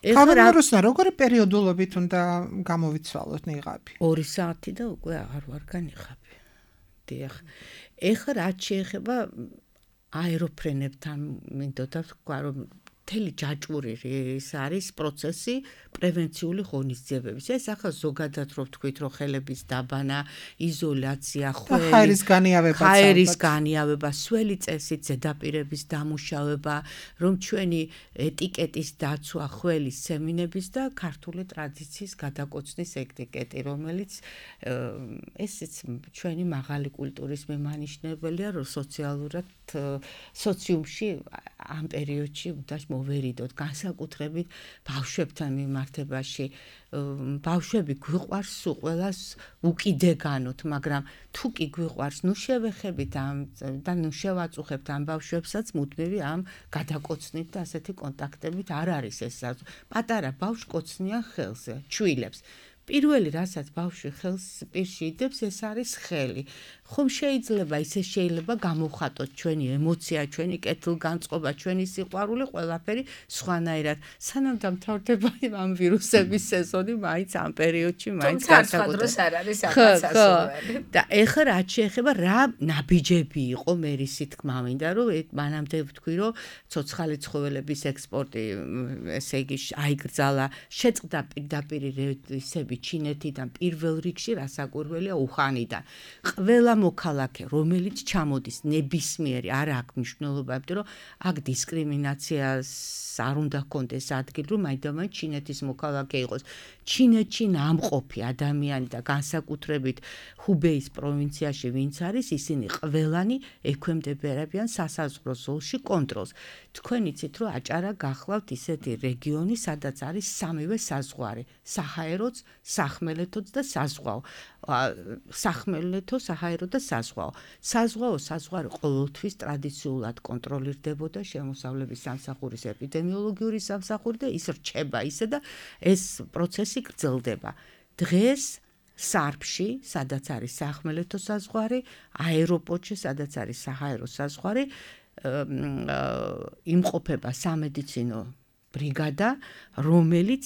ხალხუროსნა როგორი პერიოდულობით უნდა გამოვიცვალოთ ნიღაბი?
ორი საათი და უკვე აღარ ვარ განიღაბი. დიახ. ეხლა რაც შეეხება აეროფრენებთან, მინდოდა თქვა, რომ მთელი ჯაჭვური ის არის პროცესი პრევენციული ღონისძიებების. ეს ახლა ზოგადად რო ვთქვით, რომ ხელების დაბანა, იზოლაცია, ხველი,
ხაერის განიავება,
ხაერის განიავება, სველი წესით ზედაპირების დამუშავება, რომ ჩვენი ეტიკეტის დაცვა, ხველის სემინების და ქართული ტრადიციის გადაკოცნის ეტიკეტი, რომელიც ესეც ჩვენი მაღალი კულტურის მემანიშნებელია, რომ სოციალურად სოციუმში ამ პერიოდში უნდა მოვერიდოთ, განსაკუთრებით ბავშვებთან მიმართებაში. ბავშვები გვიყვარს სულ ყველას უკიდეგანოთ, მაგრამ თუ კი გვიყვარს, ნუ შევეხებით ამ და ნუ შევაწუხებთ ამ ბავშვებსაც მუდმივი ამ გადაკოცნით და ასეთი კონტაქტებით არ არის ეს. პატარა ბავშვს კოცნიან ხელზე, ჩვილებს. პირველი რასაც ბავშვი ხელს პირში იდებს, ეს არის ხელი. ხომ შეიძლება ისე შეიძლება გამოვხატოთ ჩვენი ემოცია, ჩვენი კეთილგანწყობა, ჩვენი სიყვარული, ყველაფერი სხვანაირად. სანამ დამთავრდება ამ ვირუსების სეზონი, მაინც ამ პერიოდში მაინც
განსაკუთრებით არ არის აღასასურველი.
და ეხლა რაც შეეხება რა ნაბიჯები იყო, მე ისი თქმა მინდა, რომ მანამდე ვთქვი, რომ ცოცხალი ცხოველების ექსპორტი, ესე იგი, აიგრძალა, შეწყდა პირდაპირ რეისები ჩინეთიდან პირველ რიგში რასაკვირველია უხანიდან. ყველა მოქალაქე, რომელიც ჩამოდის ნებისმიერი არ აქვს მნიშვნელობა, იმიტომ რომ აქ დისკრიმინაციას არ უნდა ჰქონდეს ადგილი, რომ მაინდამაინც ჩინეთის მოქალაქე იყოს. ჩინეთში ნამყოფი ადამიანი და განსაკუთრებით ჰუბეის პროვინციაში ვინც არის, ისინი ყველანი ექვემდებარებიან სასაზღვრო ზოლში კონტროლს. თქვენ იცით, რომ აჭარა გახლავთ ისეთი რეგიონი, სადაც არის სამივე საზღვარი, საჰაეროც, სახმელეთოც და საზღვაო. სახმელეთო, საჰაერო და საზღვაო. საზღვაო საზღვარი ყოველთვის ტრადიციულად კონტროლირდებოდა შემოსავლების სამსახურის ეპიდემიოლოგიური სამსახური და ის რჩება ისე და ეს პროცესი გრძელდება. დღეს სარფში, სადაც არის სახმელეთო საზღვარი, აეროპორტში, სადაც არის საჰაერო საზღვარი, იმყოფება სამედიცინო ბრიგადა, რომელიც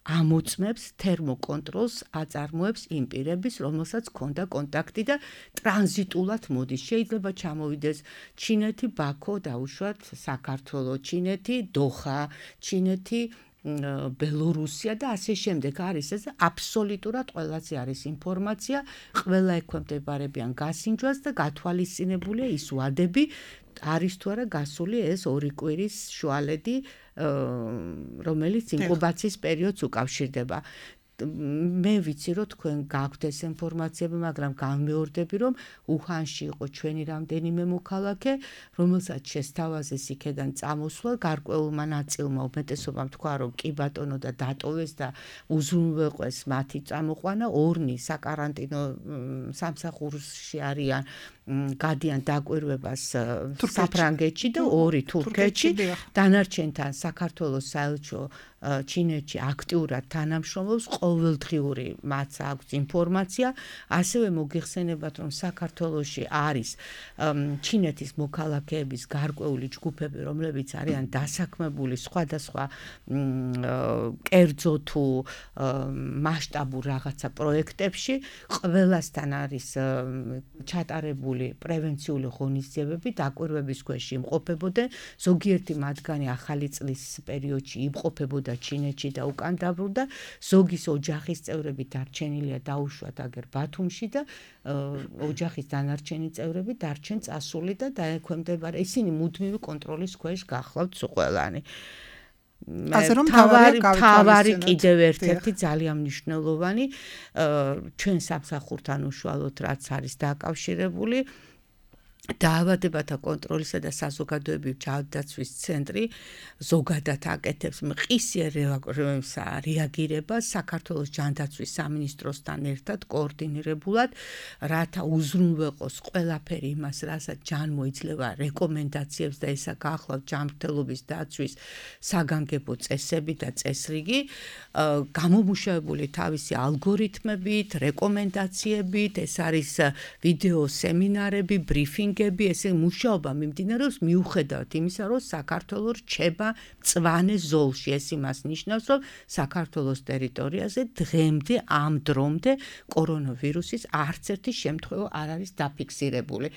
ამოწმებს თერმოკონტროლს, აწარმოებს იმ პირების, რომელსაც ჰქონდა კონტაქტი და ტრანზიტულად მოდის. შეიძლება ჩამოვიდეს ჩინეთი, ბაქო, დაუშვათ საქართველო, ჩინეთი, დოხა, ჩინეთი, ბელორუსია და ასე შემდეგ არის ეს აბსოლუტურად ყველაზე არის ინფორმაცია, ყველა ექვემდებარებიან გასინჯვას და გათვალისწინებულია ის ვადები არის თუ არა გასული ეს ორი კვირის შუალედი, რომელიც ინკუბაციის პერიოდს უკავშირდება. მე ვიცი რომ თქვენ გაქვთ ეს ინფორმაციები, მაგრამ გამეორდები რომ უჰანში იყო ჩვენი რამდენიმე მოქალაქე, რომელსაც შესთავაზეს იქიდან წამოსვლა, გარკვეულმა ნაწილმა უმეტესობამ თქვა რომ კი ბატონო და დატოვეს და უზრუნველყვეს მათი წამოყვანა, ორნი საკარანტინო სამსახურში არიან გადიან დაკვირვებას საფრანგეთში და ორი თურქეთში, დანარჩენთან საქართველოს საელჩო ჩინეთში აქტიურად თანამშრომლობს, ყოველდღიური მათ აქვს ინფორმაცია, ასევე მოგიხსენებათ რომ საქართველოში არის ჩინეთის მოქალაქეების გარკვეული ჯგუფები, რომლებიც არიან დასაქმებული სხვადასხვა კერძო თუ მასშტაბურ რაღაცა პროექტებში, ყველასთან არის ჩატარებული პრევენციული ღონისძიებები, დაკვირვების ქვეშ იმყოფებოდნენ, ზოგიერთი მათგანი ახალი წლის პერიოდში იმყოფებოდა ჩინეთში და უკან დაბრუნდა, ზოგის ოჯახის წევრები დარჩენილია დაუშვათ აგერ ბათუმში და ოჯახის დანარჩენი წევრები დარჩენ წასული და დაექვემდებარა, ისინი მუდმივი კონტროლის ქვეშ გახლავთ ყველანი.
ასე რომ
თავარი კიდევ ერთ-ერთი ძალიან მნიშვნელოვანი ჩვენ სამსახურთან უშუალოდ რაც არის დაკავშირებული დაავადებათა კონტროლისა და საზოგადოებრივი ჯანდაცვის ცენტრი ზოგადად აკეთებს მყისიერ რეაგირებას საქართველოს ჯანდაცვის სამინისტროსთან ერთად კოორდინირებულად, რათა უზრუნველყოს ყველაფერი იმას, რასაც ჯანმო იძლევა რეკომენდაციებს და ესა გახლავთ ჯანმრთელობის დაცვის საგანგებო წესები და წესრიგი, გამომუშავებული თავისი ალგორითმებით, რეკომენდაციებით, ეს არის ვიდეო სემინარები, ბრიფინგები, ესე მუშაობა მიმდინარეობს მიუხედავად იმისა, რომ საქართველო რჩება მწვანე ზოლში. ეს იმას ნიშნავს, რომ საქართველოს ტერიტორიაზე დღემდე ამ დრომდე კორონავირუსის არც ერთი შემთხვევა არ არის დაფიქსირებული.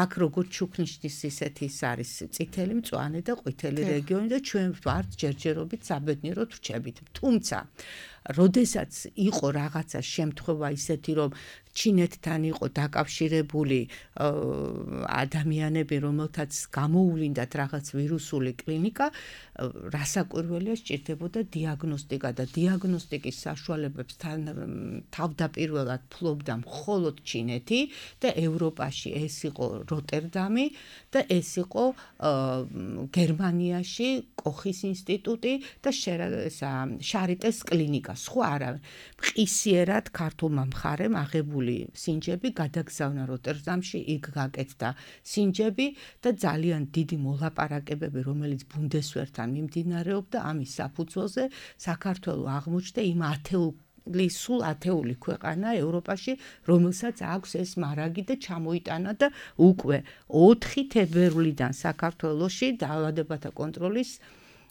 აქ როგორც ჩუქნიშნის ისეთი ის არის წითელი, მწვანე და ყვითელი რეგიონი და ჩვენ ვართ ჯერჯერობით საბედნიეროდ რჩებით. თუმცა როდესაც იყო რაღაცა შემთხვევა ისეთი, რომ ჩინეთთან იყო დაკავშირებული ადამიანები, რომელთაც გამოუვლინდათ რაღაც ვირუსული კლინიკა, რასაკვირველია სჭირდებოდა დიაგნოსტიკა და დიაგნოსტიკის საშუალებებს თავდაპირველად ფლობდა მხოლოდ ჩინეთი და ევროპაში ეს იყო როტერდამი და ეს იყო გერმანიაში კოხის ინსტიტუტი და შარიტეს კლინიკა. სხვა არავინ. მყისიერად ქართულმა მხარემ აღებული სინჯები გადაგზავნა როტერდამში, იქ გაკეთდა სინჯები და ძალიან დიდი მოლაპარაკებები, რომელიც ბუნდესვერთან მიმდინარეობდა, ამის საფუძველზე საქართველო აღმოჩნდა იმ ათეული სულ ათეული ქვეყანა ევროპაში, რომელსაც აქვს ეს მარაგი და ჩამოიტანა და უკვე ოთხი თებერვლიდან საქართველოში დაავადებათა კონტროლის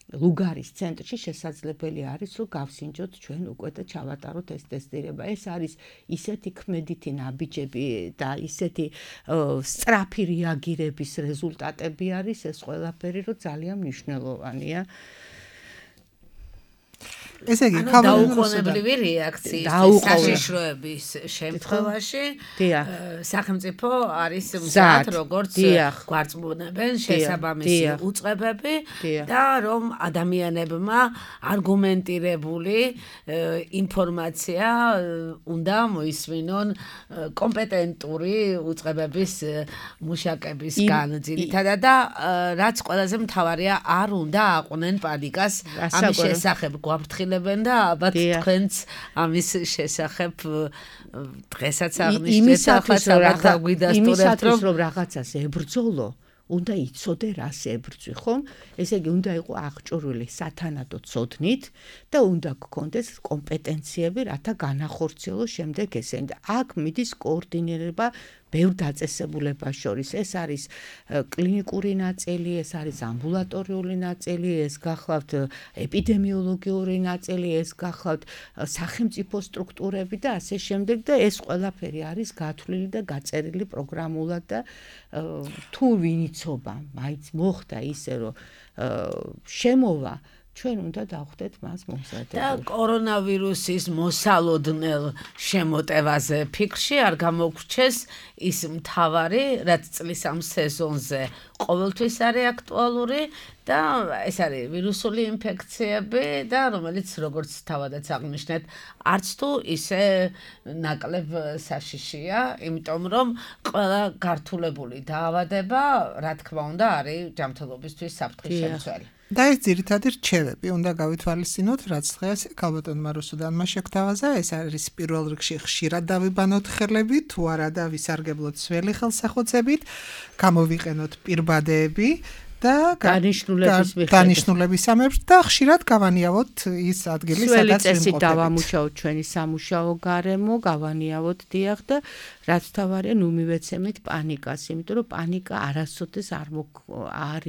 ლუგარის ცენტრში შესაძლებელი არის, რომ გავსინჯოთ ჩვენ უკვე და ჩავატაროთ ეს ტესტირება. ეს არის ისეთი ქმედითი ნაბიჯები და ისეთი სწრაფი რეაგირების რეზულტატები არის ეს ყველაფერი, რომ ძალიან მნიშვნელოვანია.
ესე იგი,
დაუყოვნებლივი რეაქციის საშიშროების შემთხვევაში სახელმწიფო არის მზად, როგორც გვარწმუნებენ შესაბამისი უწყებები და რომ ადამიანებმა არგუმენტირებული ინფორმაცია უნდა მოისმინონ კომპეტენტური უწყებების მუშაკებისგან ძირითადად და რაც ყველაზე მთავარია, არ უნდა აყვნენ პანიკას ამის შესახებ გვაფრთხილ აფრთხილებენ და ალბათ თქვენც ამის შესახებ დღესაც აღნიშნეთ ახაც რაღაც დაგვიდასტურებთ
რომ რაღაცას ებრძოლო უნდა იცოდე რას ებრძვი, ხომ? ესე იგი უნდა იყო აღჭურვილი სათანადო ცოდნით და უნდა გქონდეს კომპეტენციები, რათა განახორციელო შემდეგ ესენი. და აქ მიდის კოორდინირება ბევრ დაწესებულებას შორის. ეს არის კლინიკური ნაწილი, ეს არის ამბულატორიული ნაწილი, ეს გახლავთ ეპიდემიოლოგიური ნაწილი, ეს გახლავთ სახელმწიფო სტრუქტურები და ასე შემდეგ და ეს ყველაფერი არის გათვლილი და გაწერილი პროგრამულად და თუ ვინ იცობა, მაინც მოხდა ისე რომ შემოვა ჩვენ უნდა დავხვდეთ მას მომზადებულ.
და კორონავირუსის მოსალოდნელ შემოტევაზე ფიქრში არ გამოგრჩეს ის მთავარი, რაც წლის ამ სეზონზე ყოველთვის არის აქტუალური და ეს არის ვირუსული ინფექციები და რომელიც როგორც თავადაც აღნიშნეთ, არც თუ ისე ნაკლებ საშიშია, იმიტომ რომ ყველა გართულებული დაავადება, რა თქმა უნდა, არის ჯანმრთელობისთვის საფრთხის შემცველი.
და ეს ძირითადი რჩევები უნდა გავითვალისწინოთ, რაც დღეს ქალბატონმა რუსუდანმა შეგთავაზა, ეს არის პირველ რიგში ხშირად დავიბანოთ ხელები, თუ არა და ვისარგებლოთ ძველი ხელსახვეწებით, გამოვიყენოთ პირბადეები და დანიშნულების ამებს და ხშირად გავანიავოთ ის ადგილი, სადაც
ვიმყოფებით. დავამუშავოთ ჩვენი სამუშაო გარემო, გავანიავოთ დიახ და რაც თავარია, ნუ მივეცემით პანიკას, იმიტომ რომ პანიკა არასოდეს არ არ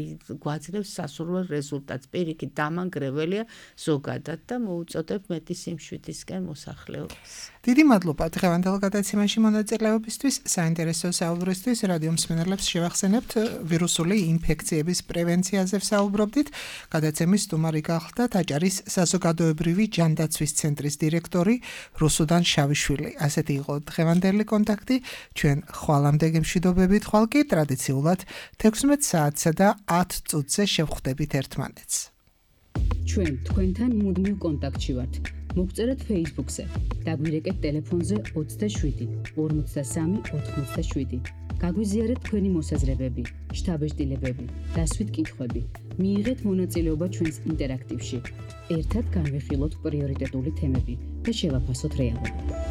გვაძლევს სასურველ რეზულტატს. პირიქით დამანგრეველია ზოგადად და მოუწოდებ მეტი სიმშვიდისკენ მოსახლეობას.
დიდი მადლობა დღევანდელ გადაცემაში მონაწილეობისთვის, საინტერესო საუბრისთვის. რადიო მსმენელებს შევახსენებთ ვირუსული ინფექციების პრევენციაზე ვსაუბრობდით. გადაცემის სტუმარი გახლდა აჭარის საზოგადოებრივი ჯანდაცვის ცენტრის დირექტორი რუსუდან შავიშვილი. ასეთი იყო დღევანდელი კონტაქტი. ჩვენ ხვალამდე გემშვიდობებით, ხვალ კი ტრადიციულად თექვსმეტ საათსა და ათ წუთზე შევხვდებით ერთმანეთს.
ჩვენ თქვენთან მუდმივ კონტაქტში ვართ. მოგწერეთ Facebook-ზე, დაგვირეკეთ ტელეფონზე ოცდაშვიდი ორმოცდასამი ოთხმოცდაშვიდი. გაგვიზიარეთ თქვენი მოსაზრებები, შთაბეჭდილებები, დასვით კითხვები. მიიღეთ მონაწილეობა ჩვენს ინტერაქტივში. ერთად განვიხილოთ პრიორიტეტული თემები და შევაფასოთ რეალობა.